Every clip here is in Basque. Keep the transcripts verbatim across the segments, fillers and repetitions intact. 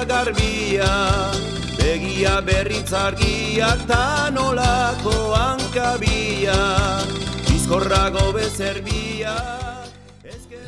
da garbia, begia berritzargiak ta nolako hankabia, bizkorrago bezerbia.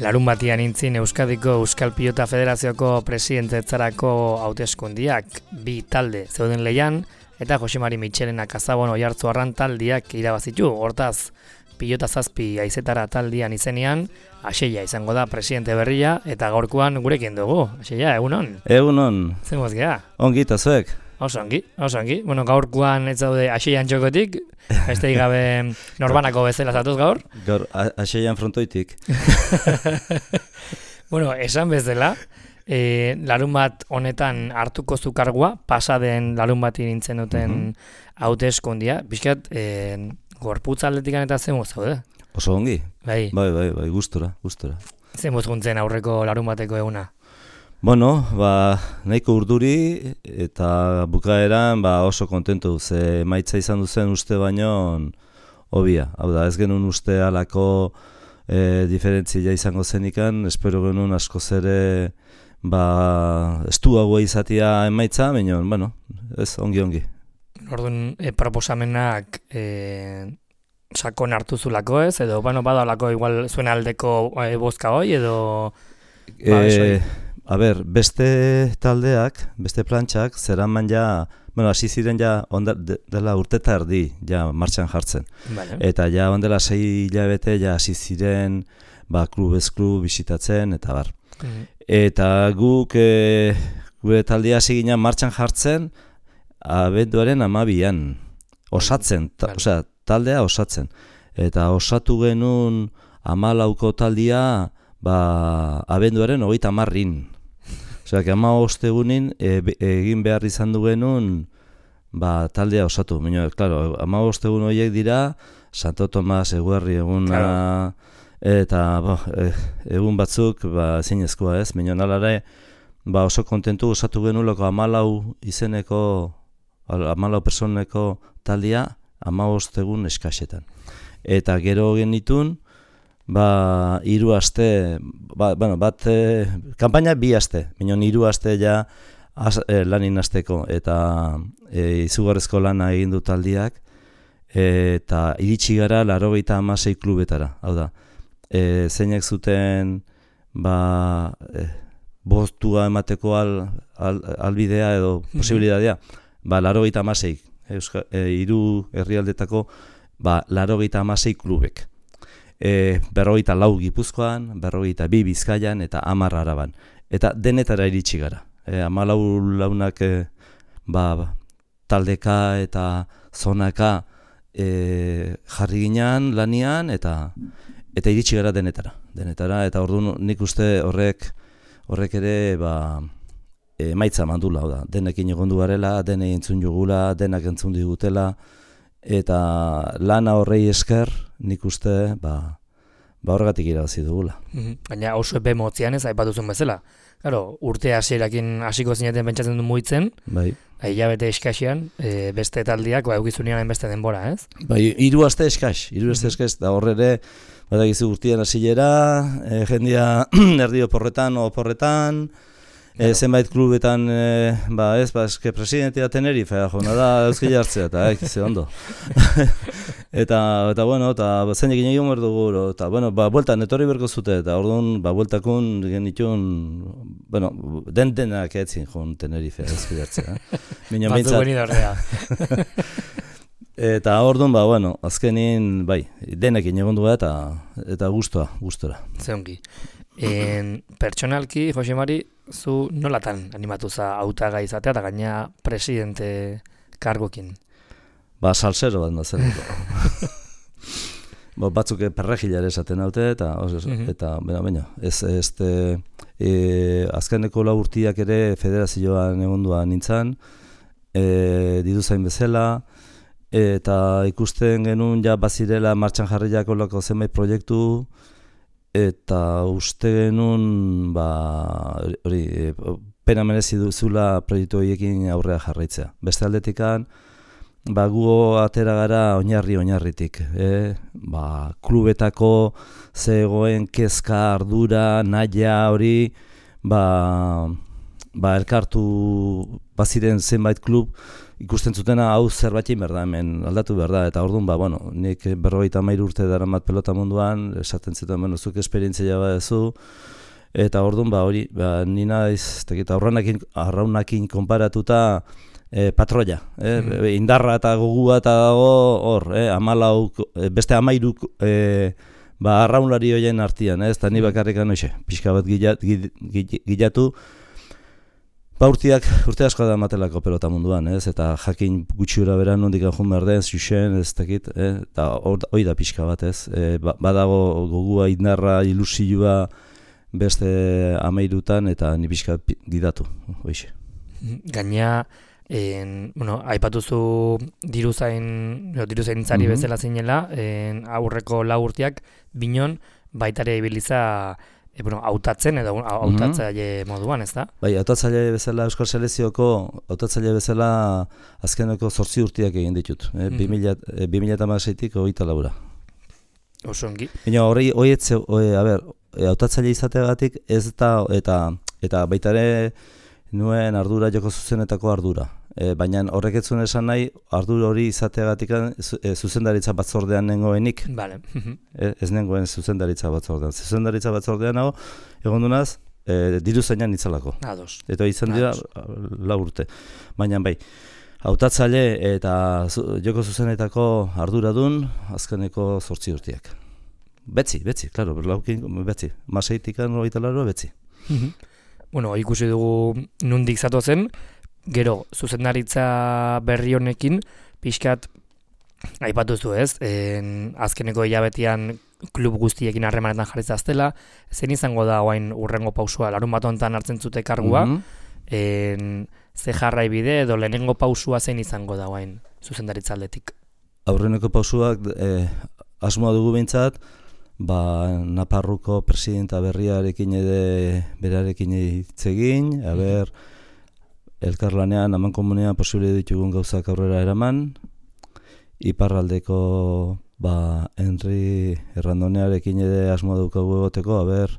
Larun batian intzin Euskadiko Euskal Pilota Federazioko presidentetzarako hauteskundiak bi talde zeuden lehian, eta Jose Mari Mitxelena Kazabon Oiartzuarran taldiak irabazitu. Hortaz, pilota zazpi haizetara taldian izenean, Axeia izango da presidente berria, eta gaurkoan gurekin dugu. Axeia, egunon? Egunon. Zer moz gea? Ongi eta zuek? Oso ongi, oso ongi. Bueno, gaurkoan ez daude Axeian txokotik, beste gabe norbanako bezala zatuz gaur. Gaur, Axeian frontoitik. Bueno, esan bezala, e, larun bat honetan hartuko zukargua, pasaden larun bati nintzen duten hauteskundia, mm-hmm. Bizkat, e, gorputz atletikan eta zen zaude? Oso ongi? Bai. Bai, bai, bai, gustora, gustora. Zen guntzen aurreko larun bateko eguna? Bueno, ba, nahiko urduri eta bukaeran ba, oso kontentu, ze emaitza izan duzen uste baino hobia. Hau da, ez genuen uste alako e, diferentzia izango zenikan, espero genuen askoz ere ba, estuagoa izatea emaitza, baina, bueno, ez, ongi-ongi. Orduan, e, proposamenak e, sakon hartu zulako ez, edo bueno, badalako igual zuen aldeko e, bozka hoi, edo... Ba, e, A ber, beste taldeak, beste plantxak, zeraman ja, bueno, hasi ziren ja onda, de, dela urteta erdi, ja martxan jartzen. Vale. Eta ja ondela sei hilabete ja hasi ziren, ba, klubez klub bisitatzen, eta bar. Mm. Eta guk, e, gure taldea hasi ginen martxan jartzen, abenduaren hamabian, osatzen, ta, vale. Osea, taldea osatzen. Eta osatu genuen hamalauko taldea, ba, abenduaren hogeita hamarrin. Osea, ama ostegunin e, egin behar izan dugenun ba, taldea osatu. Baina, claro, ama ostegun horiek dira Santo Tomas eguerri eguna, claro. Eta bo, e, egun batzuk ba, zinezkoa ez. Baina nalare ba, oso kontentu osatu genuloko amalau izeneko, amalau personeko taldea ama ostegun eskasetan. Eta gero genitun, ba, hiru aste, ba, bueno, bat, e, kanpaina bi aste, minon hiru aste ja az, e, lanin asteko, eta e, izugarrezko lana egin du taldiak, e, eta iritsi gara laurogeita hamasei klubetara, hau da, e, zeinek zuten, ba, e, bostua emateko al, al, albidea edo posibilitatea, ba, laurogeita hamasei, Euska, e, hiru herrialdetako, ba, laurogeita hamasei klubek. E, berrogeita lau Gipuzkoan, berrogeita bi Bizkaian eta hamar Araban. Eta denetara iritsi gara. E, hamalau launak e, ba, taldeka eta zonaka e, jarri ginean lanian eta eta iritsi gara denetara. Denetara eta orduan nik uste horrek horrek ere ba, emaitza mandula. Da. Denekin egondu garela, denei entzun jugula, denak entzun digutela. Eta lana horrei esker, nik uste, ba, ba horregatik irabazi dugula. Mm-hmm. Baina oso epe motzian ez, aipatuzun bezala. Claro, urte hasierakin hasiko zineten pentsatzen du mugitzen, bai. Hilabete eskaxian, e, beste taldiak, ba, eukizunean beste denbora, ez? Bai, hiru aste eskax, hiru aste eskax, da horrere, badakizu urtean hasilera, e, jendia erdi oporretan, oporretan, E, zenbait klubetan, e, ba ez, ba eske presidentea Tenerife, jona da euskal jartzea, eta eh, ze ondo. eta, eta bueno, eta zeinekin egin behar dugu, eta bueno, ba, bueltan etorri berko zute, eta orduan, ba, bueltakun genitun, bueno, den denak etzin joan Tenerife, euskal jartzea. Batzu beni dorrea. Eta orduan, ba, bueno, azkenin, bai, denekin egon dugu eta, eta gustua, gustora. Zeongi. En, pertsonalki, Jose Mari, zu nolatan animatu za hautagai izatea eta gaina presidente kargokin? Ba, salsero bat nazerako. ba, batzuk perrejilare esaten haute, eta, mm-hmm. eta bena, bena, ez, ez, e, azkeneko lau urtiak ere federazioan egonduan nintzen, e, diduzain bezala, eta ikusten genuen ja bazirela martxan jarriak olako zenbait proiektu, eta uste genuen, ba, hori, pena merezi duzula proiektu horiekin aurrea jarraitzea. Beste aldetikan, ba, gu atera gara oinarri oinarritik. Eh? Ba, klubetako zegoen kezka, ardura, naia hori, ba, ba, elkartu baziren zenbait klub, ikusten zutena hau zerbait egin behar da, hemen aldatu behar da, eta orduan, ba, bueno, nik berrogeita hamairu urte daramat pelota munduan, esaten zuten, bueno, zuk esperientzia badezu, eta orduan, ba, hori, ba, nina iz, tekita, arraunakin, arraunakin konparatuta, e, patroia, e, mm. indarra eta gogua eta dago, hor, e, amalau, beste amairu, e, ba, arraunlari horien artian, ez, eta ni bakarrikan, oixe, pixka bat gilatu, ba, urteak, urte asko da matelako pelota munduan, ez, eta jakin gutxiura beran nondik anjun behar den, zuzen, ez dakit, eh? Eta hori da pixka bat, ez, e, ba, badago gogua, indarra, ilusioa beste amairutan, eta ni pixka gidatu, hoixe. Gaina, en, bueno, aipatuzu diruzain, diruzaintzari mm-hmm. bezala zinela, en, aurreko lau urteak, binon, baitare ibiliza, E, bueno, hautatzen edo hautatzaile mm-hmm. moduan, ez da? Bai, hautatzaile bezala Euskal Selezioko, hautatzaile bezala azkeneko zortzi urteak egin ditut. E, mm-hmm. bi mila hamaseitik hogeita laura. Oso ongi. Baina hori, hori, a ber, hautatzaile izateagatik ez da, eta, eta baita ere nuen ardura joko zuzenetako ardura. E, baina horrek ez zuen esan nahi, ardura hori izateagatik e, zuzendaritza batzordean nengoenik. Vale. e, ez nengoen zuzendaritza batzordean. Zuzendaritza batzordean hau, egon dunaz, e, diru zainan itzalako. Ados. Eta izan dira lau urte. Baina bai, hautatzaile eta zu, joko zuzenetako arduradun azkeneko zortzi urteak. Betzi, betzi, klaro, laukin, betzi. Maseitikan hogeita laro, betzi. Bueno, ikusi dugu nundik zatozen, gero, zuzendaritza berri honekin, pixkat, aipatuzu ez, en, azkeneko hilabetean klub guztiekin harremanetan jarri zaztela, zen izango da oain urrengo pausua, larun bat honetan hartzen zute kargua, mm-hmm. en, ze jarrai bide edo lehenengo pausua zein izango da oain zuzendaritza aldetik? Aurreneko pausuak eh, asmoa dugu behintzat, ba, Naparruko presidenta berriarekin ere berarekin hitz egin, aber, elkarlanean, aman komunean posible ditugun gauzak aurrera eraman, iparraldeko ba, Henri Errandonearekin ere asmoa daukagu egoteko, aber,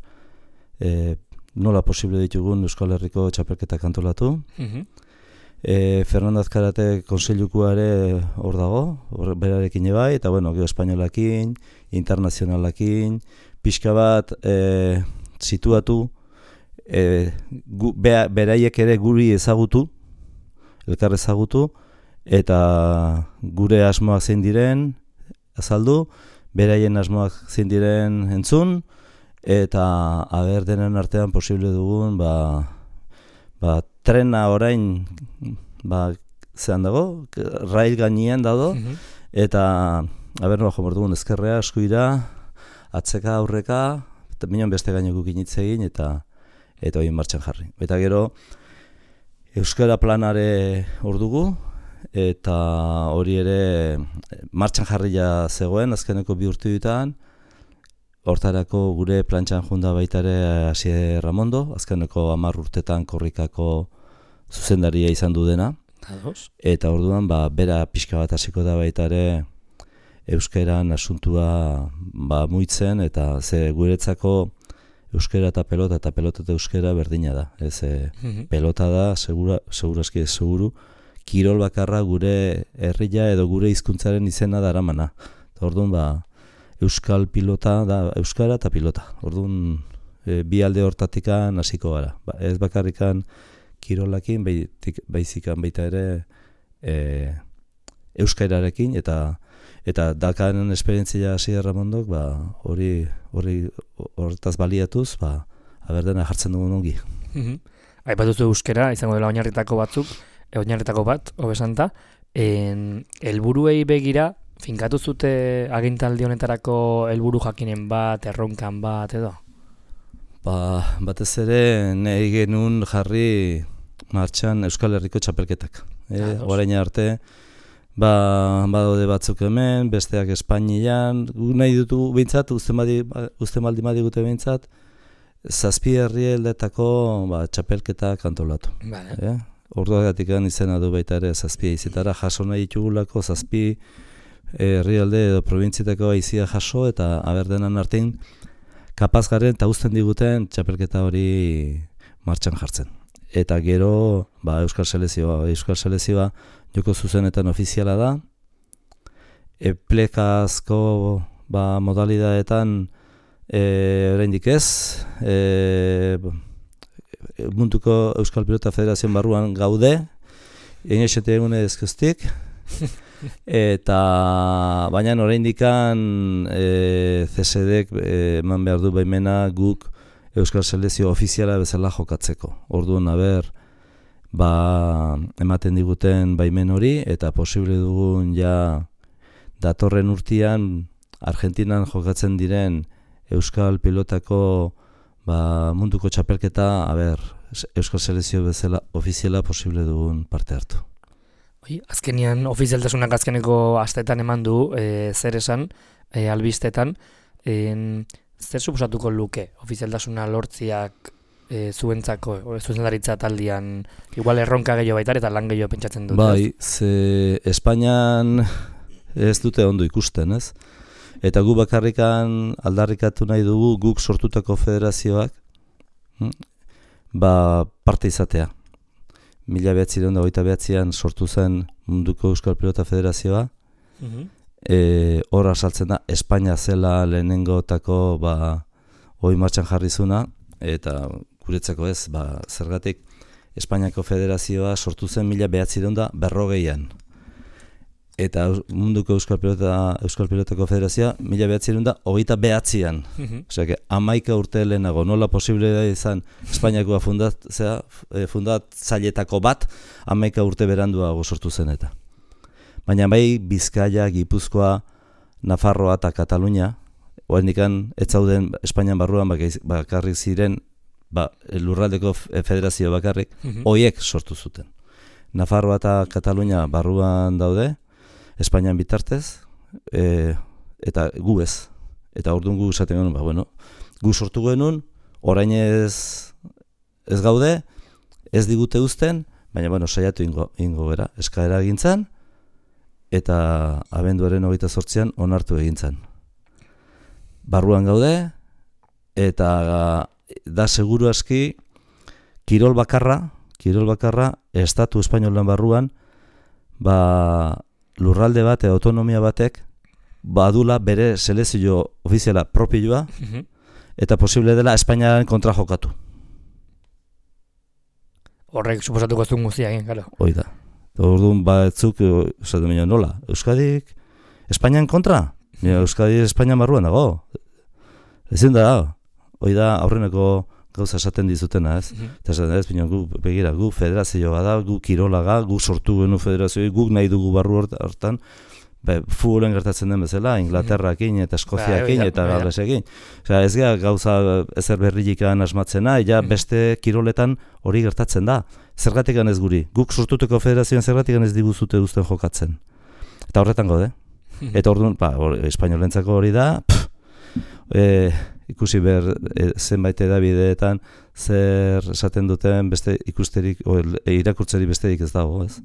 e, nola posible ditugun Euskal Herriko txapelketak antolatu. Mm-hmm. e, Fernando Azkarate konseilukoa ere hor dago, hor berarekin ebai, eta bueno, gero espainolakin, internazionalakin, pixka bat e, situatu, E, gu, bea, beraiek ere guri ezagutu, elkar ezagutu, eta gure asmoak zein diren azaldu, beraien asmoak zein diren entzun, eta aber denen artean posible dugun, ba, ba, trena orain ba, zehan dago, rail gainean dago, mm-hmm. eta aber noa jomor dugun ezkerrea, eskuira, atzeka, aurreka, eta minon beste gaineko kinitze egin, eta eta hori martxan jarri. Eta gero, Euskara planare hor dugu, eta hori ere martxan jarria zegoen, azkeneko bi urte ditan, hortarako gure plantxan junda baita ere Asier Ramondo, azkeneko hamar urtetan korrikako zuzendaria izan du dena. Ados. Eta orduan, ba, bera pixka bat hasiko da baita ere euskeran asuntua ba, muitzen, eta ze guretzako euskera eta pelota, eta pelota eta euskera berdina da. Ez, e, mm-hmm. pelota da, segura, segurazki ez seguru, kirol bakarra gure herria edo gure hizkuntzaren izena daramana. Orduan, ba, euskal pilota da, euskara eta pilota. Orduan, e, bi alde hortatikan hasiko gara. Ba, ez bakarrikan kirolakin, baizikan baita ere e, euskararekin, eta eta dakaren esperientzia Asier Ramondok, ba, hori hori hortaz baliatuz, ba, aberdena jartzen dugun ongi. Mm-hmm. Aipatuzu euskera, izango dela oinarritako batzuk, e, oinarritako bat, hobesanta, en helburuei begira, finkatu zute agintaldi honetarako helburu jakinen bat, erronkan bat edo? Ba, batez ere nahi genuen jarri martxan Euskal Herriko txapelketak. E, orain arte, ba, badaude batzuk hemen, besteak Espainian, gu nahi dutu behintzat, uste maldi madigute behintzat, zazpi herrialdetako ba, txapelketak antolatu. Vale. E? Orduagatik izena du baita ere zazpi aizetara, jaso nahi ditugulako zazpi herrialde edo probintzietako aizia jaso, eta aberdenan artean kapaz garen eta uzten diguten txapelketa hori martxan jartzen. eta gero ba, Euskal Selezioa. Euskal Selezioa joko zuzenetan ofiziala da, e, plekazko ba, modalidadetan e, oraindik ez, e, munduko Euskal Pilota Federazioan barruan gaude, inoizete egune ezkustik, eta baina oraindikan e, C S Dek eman behar du baimena guk Euskal Selezio ofiziala bezala jokatzeko. Orduan, aber, ba, ematen diguten baimen hori, eta posible dugun ja datorren urtean Argentinan jokatzen diren Euskal Pilotako ba, munduko txapelketa, aber, Euskal Selezio bezala ofiziala posible dugun parte hartu. Oi, azkenian ofizialtasunak azkeneko astetan eman du, e, zer esan, e, albistetan, e, zer suposatuko luke ofizialtasuna lortziak e, zuentzako, zuzendaritza taldian, igual erronka gehiago baitar eta lan gehiago pentsatzen dut. Bai, ze Espainian ez dute ondo ikusten, ez? Eta gu bakarrikan aldarrikatu nahi dugu guk sortutako federazioak ba, parte izatea. Mila behatzireun da hogeita behatzian sortu zen munduko Euskal Pilota Federazioa. Mhm. E, hor asaltzen da Espainia zela lehenengotako ba, hoi martxan jarrizuna, eta guretzako ez, ba, zergatik Espainiako Federazioa sortu zen mila behatzireun da berrogeian. Eta munduko Euskal Pilota, Euskal Pilotako Federazioa mila behatzireun da hogeita behatzian. Mhm. Osea, que amaika urte lehenago, nola posible da izan Espainiakoa fundatzea, fundatzailetako bat, amaika urte beranduago sortu zen eta. Baina bai Bizkaia, Gipuzkoa, Nafarroa eta Katalunia, oraindikan ez zauden Espainian barruan bakarrik ziren ba, lurraldeko federazio bakarrik, hoiek sortu zuten. Nafarroa eta Katalunia barruan daude, Espainian bitartez, e, eta gu ez. Eta orduan gu esaten genuen, ba, bueno, gu sortu genuen, orain ez, ez gaude, ez digute uzten, baina bueno, saiatu ingo, ingo bera, eskaera egintzan, eta abenduaren hogeita zortzian onartu egintzan. Barruan gaude, eta da seguru aski, kirol bakarra, kirol bakarra, estatu espainolan barruan, ba, lurralde bat, autonomia batek, badula bere selezio ofiziala propioa, eta posible dela Espainiaren kontra jokatu. Horrek suposatuko ez duen guztia egin, claro. Hoi da. Orduan batzuk, esaten baina nola, Euskadik Espainian kontra? Euskadi Espainian barruan dago. Ezin da, hoi da aurreneko gauza esaten dizutena, ez? Mhm. Eta esaten ez, baina gu, begira, gu federazioa da, gu kirolaga, gu sortu genu federazioa, guk nahi dugu barru hortan, be, futbolen gertatzen den bezala, Inglaterrakin eta Eskoziakin Ba, eta ba, Galesekin. Osea, ez gara gauza ezer berrilikan asmatzena, ja beste kiroletan hori gertatzen da. Zergatik ez guri. Guk sortuteko federazioan zergatik ez diguzute uzten jokatzen. Eta horretan gaude. Eta orduan, ba, or, espainolentzako hori da, pff, e, ikusi behar e, zenbait edabideetan zer esaten duten beste ikusterik, o, e, irakurtzeri besterik ez dago, ez?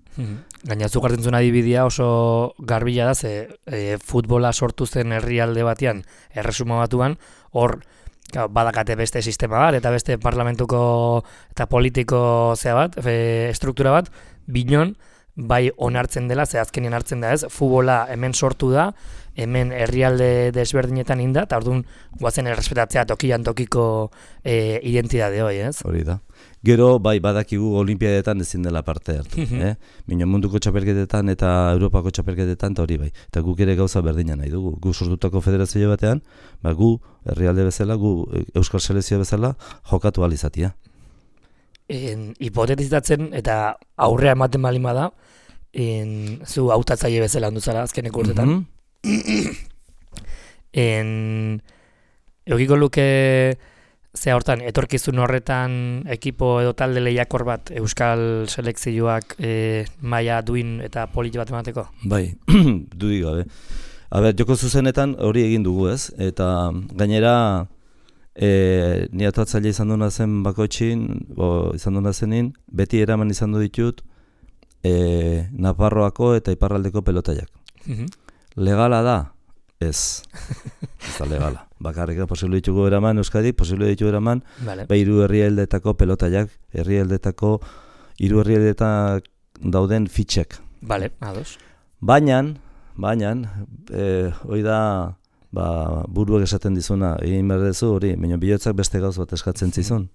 Gaina zuk hartzen zuen adibidea oso garbila da, ze e, futbola sortu zen herrialde batean, erresuma batuan, hor badakate beste sistema bat, eta beste parlamentuko eta politiko zea bat, e, struktura bat, binon, bai onartzen dela, ze azkenien hartzen da ez, futbola hemen sortu da, hemen herrialde desberdinetan inda, eta orduan guazen errespetatzea tokian tokiko e, identitate hori, ez? Hori da. Gero, bai, badakigu olimpiadetan ezin dela parte hartu. eh? Mino munduko txapelketetan eta Europako txapelketetan, eta hori bai. Eta guk ere gauza berdina nahi dugu. Gu sortutako federazio batean, ba, gu herrialde bezala, gu Euskal Selezio bezala jokatu ahal izatea. En, hipotetizatzen eta aurrea ematen balin bada, en, zu hautatzaile bezala ondu zara azkeneko urtetan. Mm-hmm. en, eukiko luke ze hortan, etorkizun horretan ekipo edo talde lehiakor bat Euskal Selekzioak e, maila duin eta polit bat emateko? Bai, dudik gabe. A ber, joko zuzenetan hori egin dugu ez, eta gainera e, ni atatzaile izan duna zen bakoitxin, o, izan duna zenin, beti eraman izan du ditut e, Nafarroako eta Iparraldeko pelotaiak. Mm-hmm. Legala da, ez. Ez da legala. Bakarrik posible ditugu eraman, Euskadi, posible ditugu eraman, vale. Ba, hiru herrialdetako pelotaiak, herrialdetako, hiru herrialdetan dauden fitxek. Vale, ados. Baina, baina, e, hori da, ba, buruak esaten dizuna, egin behar dezu hori, baina bihotzak beste gauz bat eskatzen zizun.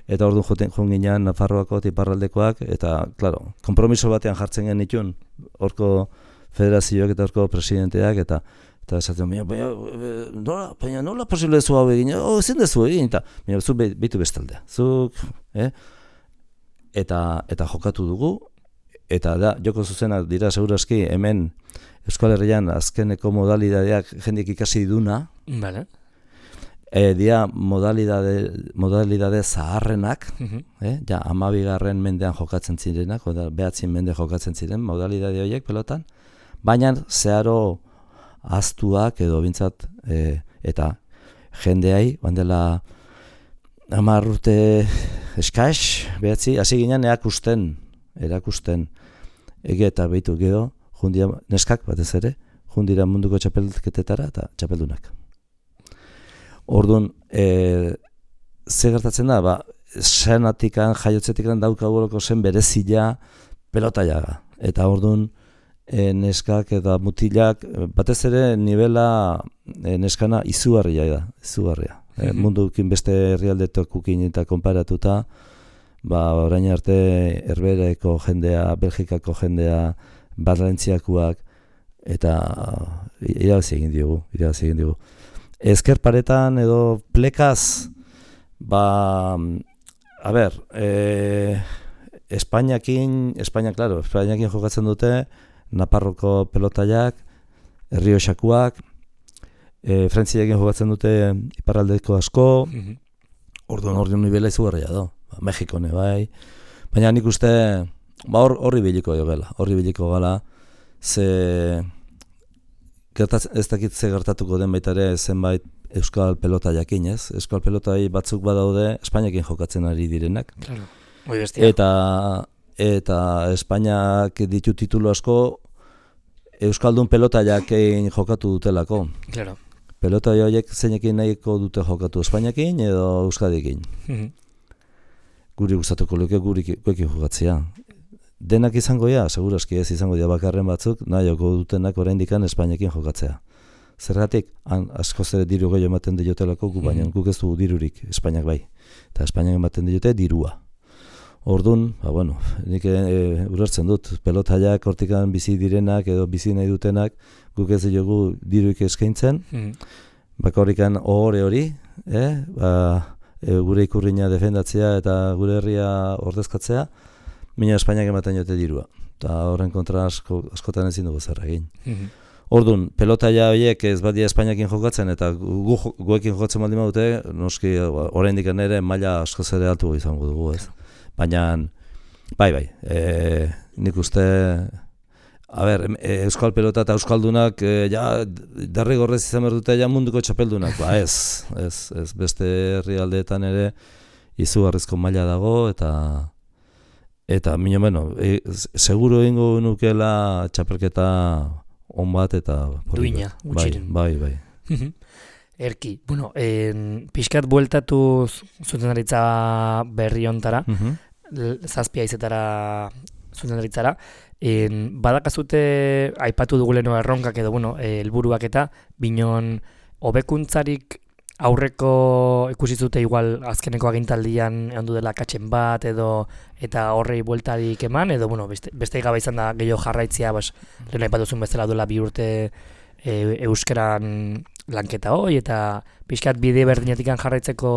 Eta orduan joten joan ginean Nafarroako tiparraldekoak, eta, klaro, kompromiso batean jartzen genitun, horko federazioak eta horko presidenteak, eta eta esaten, baina, baina, nola, baina nola posible zu hau egin, oh, ezin dezu egin, eta baina zu behitu bestaldea, zuk, eh? Eta, eta jokatu dugu, eta da, joko zuzenak dira segurazki hemen Euskal Herrian azkeneko modalidadeak jendik ikasi duna, vale. E, dia modalidade, modalidade zaharrenak, Uh-huh. eh? Ja, amabigarren mendean jokatzen zirenak, oda behatzin mende jokatzen ziren modalidade horiek pelotan, baina zeharo aztuak edo bintzat, e, eta jendeai, bandela hamar urte eskaix, behatzi, hasi ginen erakusten, erakusten, ege eta behitu geho, jundia, neskak batez ere, jundira munduko txapelketetara eta txapeldunak. Orduan, e, ze gertatzen da, ba, senatikan, jaiotzetikan daukaguroko zen berezila pelotaiaga. Eta orduan, e, neskak eta mutilak, batez ere nivela e, neskana izugarria da, izugarria. E, mundukin beste herrialdetokukin eta konparatuta, ba, orain arte Herbereko jendea, Belgikako jendea, Valentziakoak, eta irabazi egin diogu, irabazi egin diogu. Ezker paretan edo plekaz, ba, a ber, e, Espainiakin, Espainia, claro, Espainiakin jokatzen dute, Naparroko pelotaiak, Errioxakoak, e, Frantziakin jokatzen dute iparraldeko asko, uh-huh. Orduan orduan nivela izugarria do, ba, Mexikone bai, baina nik uste, ba, hor, horri biliko jo gela, horri biliko gala, ze... Gertaz, ez dakit ze gertatuko den baita ere zenbait euskal pelota jakin, ez? Euskal pelotai batzuk badaude Espainiakin jokatzen ari direnak. Claro. Muy bestia. Eta, eta Espainiak ditu titulu asko euskaldun pelota jakin jokatu dutelako. Claro. Pelota horiek zeinekin nahiko dute jokatu, Espainiakin edo Euskadikin. Uh-huh. Guri gustatuko luke gurekin jokatzea. Denak izango ja, segurazki ez izango ja bakarren batzuk, nahioko dutenak oraindikan Espainekin jokatzea. Zergatik, han askoz ere diru gehiago ematen diotelako, gu baina guk ez du dirurik, Espainiak bai. Eta Espainiak ematen diote dirua. Orduan, ba bueno, nik e, urartzen dut, pelotaiak hortikan bizi direnak edo bizi nahi dutenak, guk ez diogu dirurik eskaintzen, mm. bakorrikan ohore hori, eh? ba, e, gure ikurriña defendatzea eta gure herria ordezkatzea, Mina Espainiak ematen jote dirua, eta horren kontra asko, askotan ezin dugu zer egin. Mm-hmm. Orduan, pelotaia horiek ez badia Espainiakin jokatzen, eta gu, guekin jokatzen baldin badute, noski oraindik ere maila askoz ere altu izango dugu, ez. Baina, bai, bai, e, nik uste, a ber, e, euskal pelota eta euskaldunak, e, ja, derrigorrez izan behar dute ja munduko txapeldunak, ba ez, ez, ez beste herrialdeetan ere izugarrizko maila dago, eta... Eta, minio, bueno, e, seguro egingo nukela txapelketa on bat eta... Duina, gutxiren. Bai, bai, bai. Erki, bueno, en, pixkat bueltatu zuzendaritza berri ontara, uh-huh. zazpia izetara zuzendaritzara, en, badakazute aipatu duguleno erronkak edo, bueno, helburuak eta binon hobekuntzarik aurreko ikusi zute igual azkeneko agintaldian ondu dela katzen bat edo eta horrei bueltarik eman edo bueno, beste, beste gabe izan da gehiago jarraitzea, bas, lehen aipatuzun bezala duela bi urte e, euskeran lanketa hoi eta pixkat bide berdinetikan jarraitzeko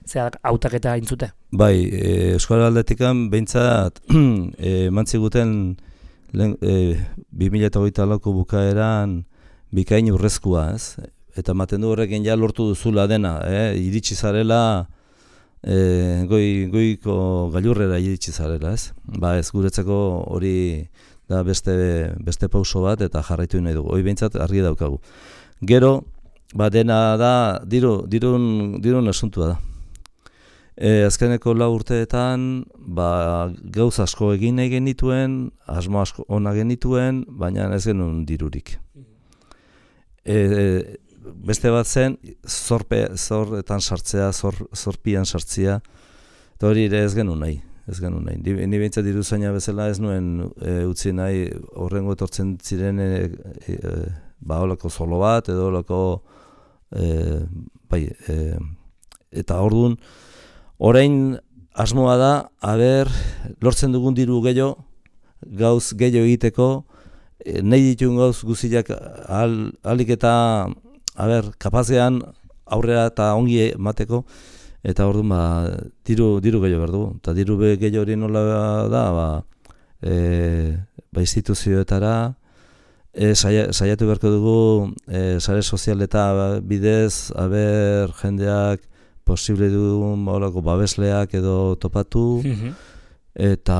zea hautaketa intzute? Bai, e, Euskal Aldetikan behintzat e, mantziguten e, bi mila hogeita lauko bukaeran bikain urrezkoa, ez? Eta maten du horrekin ja lortu duzula dena, eh? Iritsi zarela, eh, goi, goiko gailurrera iritsi zarela, ez? Ba ez, guretzako hori da beste, beste pauso bat eta jarraitu nahi dugu, hori behintzat argi daukagu. Gero, ba dena da, diru, dirun, dirun asuntua da. E, azkeneko lau urteetan, ba, gauz asko egin nahi genituen, asmo asko ona genituen, baina ez genuen dirurik. E, beste bat zen, zorpe, zorretan sartzea, zor, zorpian sartzea, eta hori ere ez genuen nahi. Ez genuen nahi. Ni behintzat diruzaina bezala ez nuen e, utzi nahi horrengo etortzen ziren e, e, ba holako zolo bat edo holako e, bai, e, eta orduan orain asmoa da, aber, lortzen dugun diru gehiago, gauz gehiago egiteko, e, nahi dituen gauz guziak ahal, ahalik eta aber, kapazean aurrera eta ongi emateko, eta orduan ba, diru, diru gehiago behar dugu. Eta diru gehiago hori nola da, ba, e, ba instituzioetara, e, saia, saiatu beharko dugu e, sare sozial eta bidez, aber, jendeak posible dugun horako babesleak edo topatu, mm-hmm. eta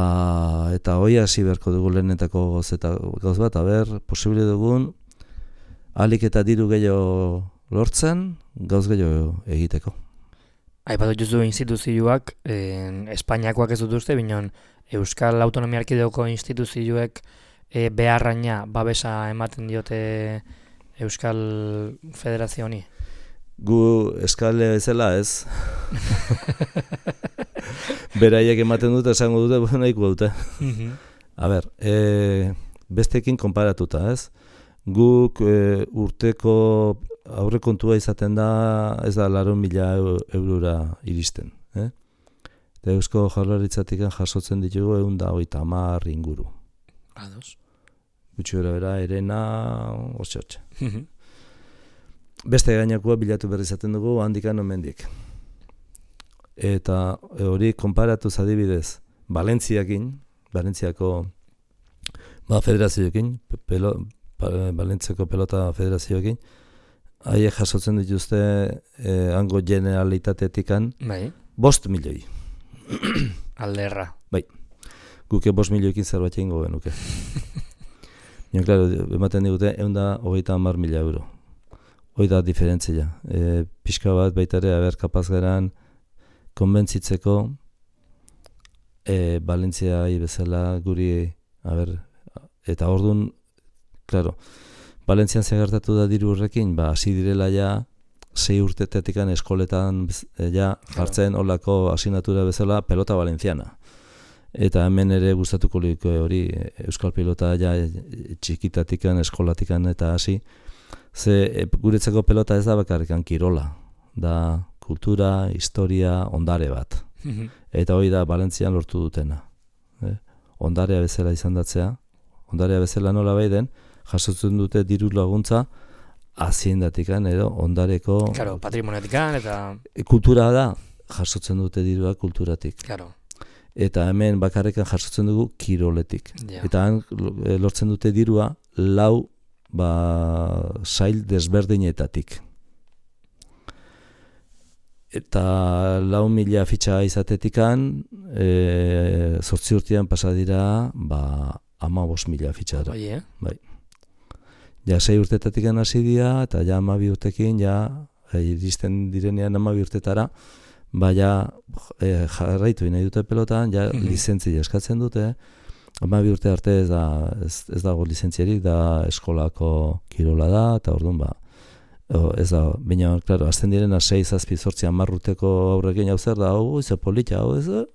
eta hoi hasi beharko dugu lehenetako gozeta gauz bat, aber, posible dugun ahalik eta diru gehiago lortzen, gauz gehiago egiteko. Aipatu duzu instituzioak, eh, Espainiakoak ez dut uste, binon Euskal Autonomia Erkidegoko instituzioek eh, beharraina babesa ematen diote Euskal Federazio honi? Gu eskale bezala ez. Beraiek ematen dute, esango dute, nahiko dute. Mm-hmm. A ber, e, bestekin konparatuta ez. Guk e, urteko aurrekontua izaten da, ez da laurehun mila eurora iristen. Eh? Eta Eusko Jaurlaritzatik jasotzen ditugu ehun eta hogeita hamar inguru. Ados. Gutxi bera bera, erena, hortxe-hortxe. Beste gainakoa bilatu berri izaten dugu handikan omendik. Eta hori konparatuz adibidez, Valentziakin, Valentziako ba, federazioekin, pelo, Valentziako pelota federazioekin, haiek jasotzen dituzte eh, hango generalitatetikan bai. bost milioi. Alderra. Bai, guke bost milioikin zerbait egingo genuke. Baina, klaro, ematen digute ehun eta hogeita hamar mila euro. Hoi da diferentzia. E, pixka bat baita ere, aber, kapaz geran konbentzitzeko e, Valentziai bezala guri, aber, eta orduan, klaro, Valentzian zegartatu da diru horrekin, ba, hasi direla ja, sei urtetetikan eskoletan ja, jartzen olako asignatura bezala pelota valenciana. Eta hemen ere gustatuko liko hori, euskal pelota ja txikitatikan, eskolatikan eta hasi, ze e, guretzako pelota ez da bakarrikan kirola, da kultura, historia, ondare bat. Mm-hmm. Eta hori da Valentzian lortu dutena. Eh? Ondarea bezala izan datzea, ondarea bezala nola bai den, jasotzen dute diru laguntza haziendatikan edo ondareko... Claro, patrimoniotikan eta... Kultura da, jasotzen dute dirua kulturatik. Claro. Eta hemen bakarrekan jasotzen dugu kiroletik. Yeah. Eta han lortzen dute dirua lau ba, sail desberdinetatik. Eta lau mila fitxa izatetikan, e, zortzi urtean pasa dira, ba, hamabost mila fitxara. Bai, eh? Bai. Ja, sei urtetatik hasi dira, eta ja hamabi urtekin, ja, iristen direnean hamabi urtetara, ba, ja, e, jarraitu nahi dute pelotan, ja, mm-hmm. lizentzia eskatzen dute, hamabi urte arte ez, da, ez, ez dago lizentziarik, da eskolako kirola da, eta orduan, ba, ez da, baina, klaro, azten direna sei, zazpi, zortzi, hamar urteko aurrekin hau zer da, hau, ez polita, hau, ez da,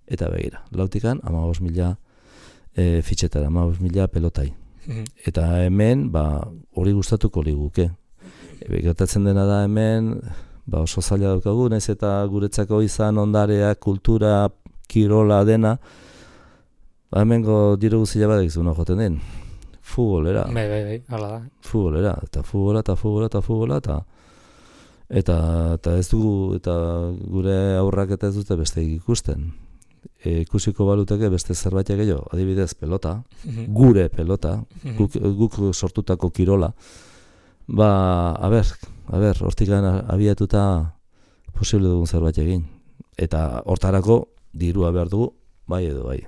eta begira, lautikan, hamabost mila e, fitxetara, hamabost mila pelotai. Eta hemen, ba, hori gustatuko liguke. E, gertatzen dena da hemen, ba, oso zaila daukagu, naiz eta guretzako izan ondarea, kultura, kirola dena, ba, hemengo diru guztia badak izuna joten den. Futbolera. Bai, bai, bai, hala da. Futbolera, eta futbola, eta futbola, eta futbola, eta eta, eta ez dugu, eta gure aurrak eta ez dute beste ikusten. E, ikusiko baluteke beste zerbaitek gehiago, adibidez pelota, mm-hmm. gure pelota, mm-hmm. guk, guk sortutako kirola, ba, a ber, a ber, hortikan abiatuta posible dugun zerbait egin. Eta hortarako dirua behar dugu, bai edo bai.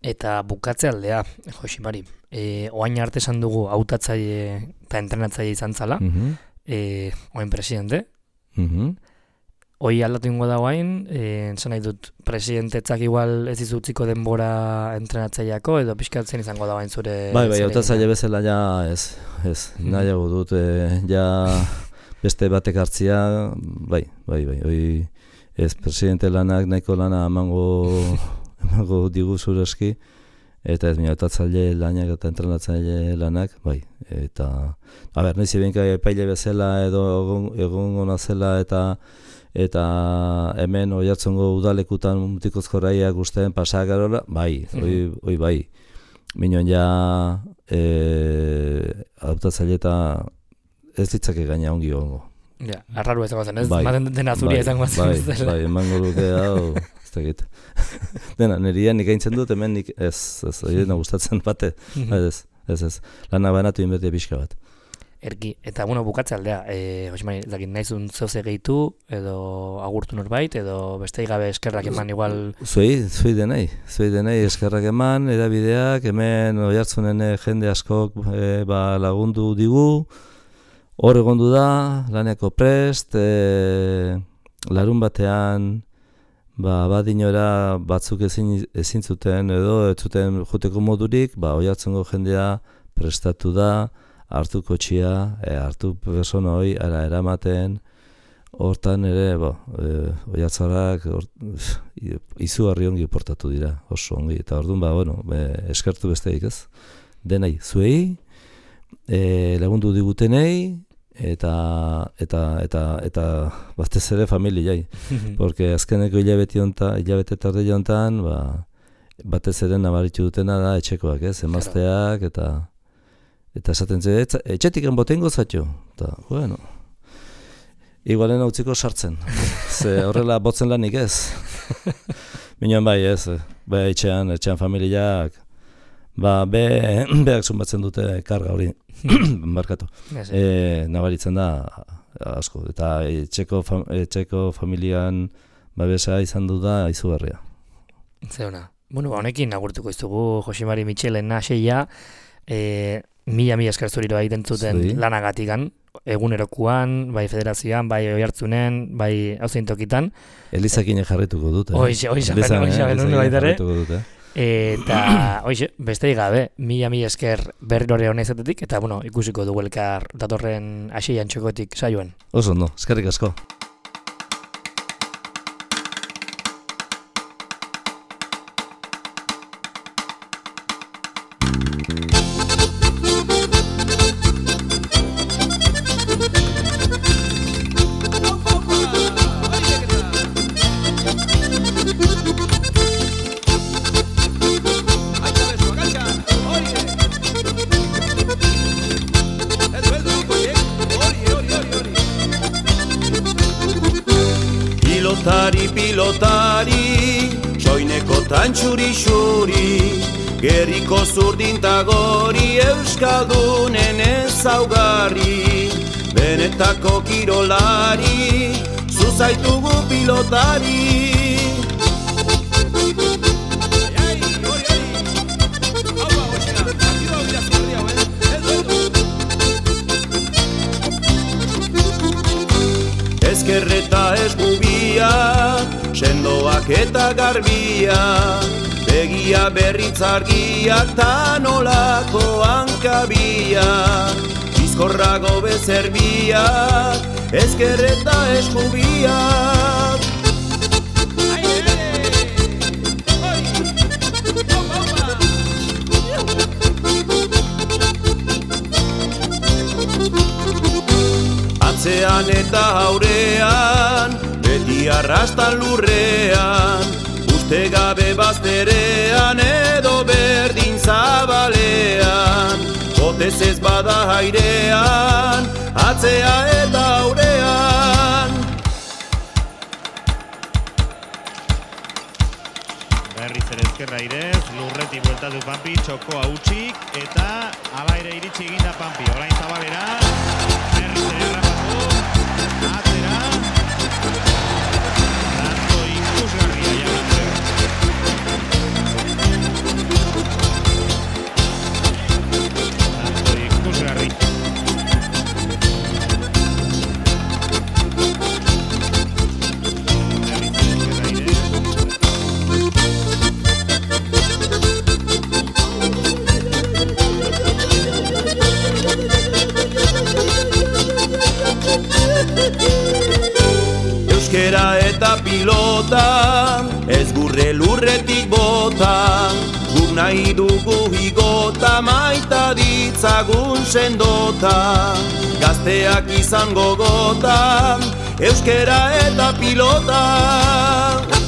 Eta bukatze aldea, Josimari, e, oain arte esan dugu hautatzaile eta entrenatzaile izan zala, mm-hmm. e, oain presidente, mm-hmm. hoi aldatu ingo da guain, entzan nahi dut, presidentetzak igual ez izutziko denbora entrenatzaileako, edo pixkatzen izango da guain zure... Bai, bai, hautatzaile bezala ja ez, ez, nahiago dut, e, ja beste batek hartzia, bai, bai, bai, hoi ez presidente lanak nahiko lana emango, emango digu zure eski, eta ez mi hautatzaile lanak eta entrenatzaile lanak, bai, eta, a ber, nahiz ebenka epaile bezala edo egon gona zela eta eta hemen Oiartzungo udalekutan mutikozko raiak ustean pasak garola, bai, hoi, hoi bai. Minon ja e, hautatzaile eta ez ditzake gaina ongi ongo. Ja, arraru izango zen, ez? Bai, Maten dena zuria izango zen. Bai, bai, bai, emango duke hau, ez dakit. Dena, nirian nik aintzen dut, hemen nik ez, ez, ez, gustatzen bate, ez, ez, ez, lana banatu inbertia pixka bat. Erki, eta bueno, bukatze aldea, e, Josemari, dakit, nahizun zeuze gehitu, edo agurtu norbait, edo bestei gabe eskerrak eman igual... Zuei, zuei denei, zuei denei eskerrak eman, edabideak, hemen Oiartzunen jende askok e, ba, lagundu digu, hor egondu da, laneko prest, e, larun batean, ba, badinora batzuk ezin, ezin zuten edo ez zuten joteko modurik, ba, Oiartzungo jendea prestatu da, hartu kotxia, e, hartu persona hoi, ara eramaten, hortan ere, bo, e, Oiartzarak izugarri ongi portatu dira, oso ongi, eta orduan, ba, bueno, e, eskertu besteik ez, denai, zuei, e, lagundu digutenei, eta eta eta eta batez ere familiai, porque azkeneko hilabete hontan, hilabete tarde hontan, ba, batez ere nabaritu dutena da etxekoak, ez, emazteak, eta Eta esaten ze, etxetik enbotengo zatio. Eta, bueno, igualen hautziko sartzen. Ze horrela botzen lanik ez. Minon bai ez, bai etxean, etxean familiak, ba, be, beak zumbatzen dute karga hori, barkatu. E, nabaritzen da asko. Eta etxeko, fam, etxeko familian babesa izan du da izugarria. Zeuna. Bueno, honekin agurtuko izugu Josemari Mitxelen naseia, e, mila mila esker zuriro egiten zuten lanagatikan, egunerokuan, bai federazioan, bai Oiartzunen, bai hauzein tokitan. Elizakin jarrituko dut. Hoixe, hoixe, hoixe, benun baitare. Eta, hoixe, bestei gabe, mila mila esker berriro honezetetik, eta, bueno, ikusiko dugu elkar datorren aseian txokotik saioan. Oso, no, eskerrik asko. Pilotari, pilotari, soineko tantxuri-xuri, gerriko zurdintagori euskaldunen ezaugarri, benetako kirolari, zuzaitugu pilotari. Ezkerreta esgubia, sendoak eta garbia, begia berritzargiak ta nolako hankabia, bizkorrago bezerbia, ezkerreta esgubia. Atzean eta aurean, beti arrastan lurrean, uste gabe bazterean edo berdin zabalean, botez ez bada airean, atzea eta aurean. Berriz ere ezkerra irez, lurreti bueltatu Pampi, txokoa utxik, eta ala ere iritsi eginda Pampi, orain zabalera, berriz ere errapatu, atzera, tanto ikusgarria jagantzea. Tanto ikusgarri. pilota, ez gurre lurretik bota, guk nahi dugu igota, maita ditzagun sendota, gazteak izango gota, euskera eta pilota.